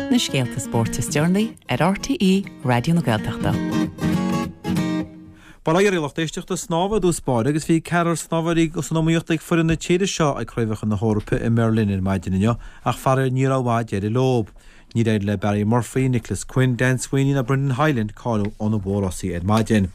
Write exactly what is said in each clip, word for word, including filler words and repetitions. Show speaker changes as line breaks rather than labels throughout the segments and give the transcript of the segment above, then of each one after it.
Na scéalta spóirt is deireanaí ar RTÉ Raidió na Gaeltachta.
Bail ó Dhia oraibh a lucht éisteachta snámha i dtús báire agus bhí ceathrar snámhóirí san iomaíocht ag foireann na tíre seo ag Craobhacha na hEorpa i mBerlin ar maidin inniu ach faraor ní raibh mhaith deireadh leo. Níor éirigh le Barry Murphy, Nicholas Quinn, Dan Sweeney ná Brendan Hyland cáiliú ó na mórrásaí ar maidin.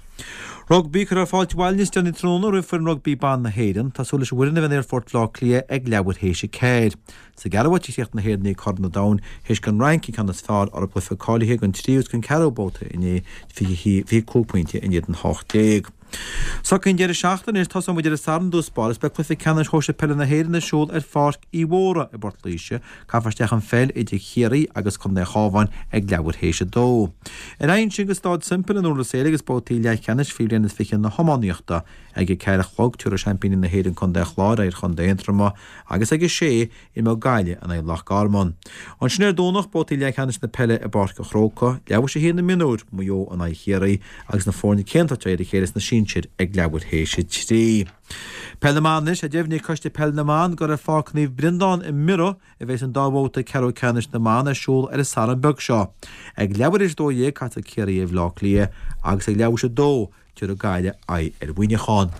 Rugbaí cuirfear fáilte abhaile níos déanaí tráthnóna roimh foireann rugbaí ban na hÉireann. Tá súil leis an bhfoireann a bheith in Aerfort Bhaile Átha Cliath ag leathuair théis a ceathair. Sa gceathrú háit a chríochnaigh na hÉireannaigh Corn an Domhain théis don Fhrainc an ceann is fearr orthu i gcluiche cáilithe don tríú agus don ceathrú babhta inné fiche fiche cúig pointe in éadan hocht déag. Sacar an deireadh seachtaine anois tosóidh muid ar an Satharn i dtús báire is beidh cluiche ceannais shóisir peile na hÉireann ar siúl ar Pháirc Uí Mhórdha i bPort Laoise. Caithfear isteach an pheil idir Chiarraí agus Contae an Chabháin ag leathuair théis a dó. Ar aghaidh ansin go Staid Semple in Durlas Éile agus babhtaí leathcheannais faoi bhliain is fiche na hiománaíochta. Ag a ceathair a chlog tabharfaidh seaimpíní na hÉireann Contae an Chláir aghaidh ar Chontae Aontroma agus ag a sé imreoidh Gaillimh in aghaidh Loch Garman. Ansin ar Domhnach babhtaí leathcheannais na peile i bPáirc an Chrócaigh, leathuair théis a haon na mionúir, Maigh Eo in aghaidh Chiarraí agus na foirne céanna ag tabhairt aghaidh ar a chéile sna sinsir ag leathuair théis a trí. Peil na mBan anois, tá deimhnithe ag Coiste Peile na mBan gur ar Pháirc Naomh Breandán i mBiorra a bheas an dá bhabhta ceathrú ceannais na mban ar siúl ar an Satharn beag seo. Ag leathuair théis a dó dhéag casfaidh Ciarraí ar Bhaile Átha Cliath agus ag leathuair théis a dó tabharfaidh Gaillimh aghaidh ar Mhuineachán.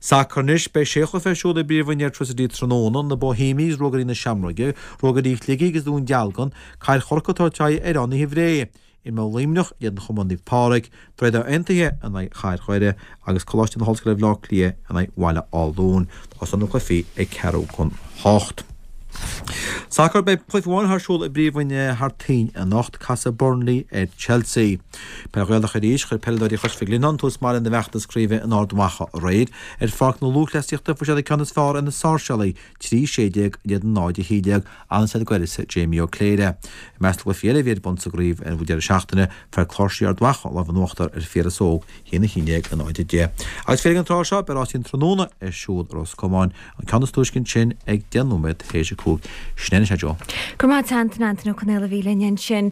Sacar anois, beidh sé chluiche ar siúl i bPríomhroinn Airtricity tráthnóna, na Bohemians, Ruagairí na Seamróige, Ruagairí Shligigh agus Dún Dealgan, Cathair Chorcaí ag tabhairt aghaidh ar Fhánaithe Bhré. Imreoidh Luimneach in éadan Chumann Naomh Pádraig, Droichead Átha Aontaithe in aghaidh Chathair Dhoire agus Coláiste na hOllscoile Bhaile Átha Cliath in aghaidh Bhaile Átha Luain. Tosóidh na cluichí ag ceathrú chun hocht. Sacar, Beidh cluiche amháin ar siúl i bPríomhroinn thar toinn anocht, casfaidh Burnley ar Chelsea. Peil Ghaelach arís, chuir peileadóirí Chois Mhic Lionnáin tús maith lena bhfeachtas craoibhe in Ard Mhacha aréir. Ar pháirc na lúthchleasaíochta fuair siad an ceann is fearr ar na Sáirséalaigh, trí sé déag in éadan náid a haon déag, an-seid d'uireasa Jamie Ó Cléire. I measc na gcluichí eile a bhí ar bun sa gcraobh ar an deireadh seachtaine, fuair Cláirsigh Ard Mhacha an lámh in uachtar ar Phiaras Óg, a haon a haon déag, a náid a deich. Agus féar ag an tráth seo, beidh rásaí an tráthnóna ar siúl i Ros Comáin, an ceann is túisce ansin ag deich nóiméad théis a cúig. Sin é anois é, Joe.
Go raibh maith agat, Antain, Antain Ó Conaola a bhí linn ansin.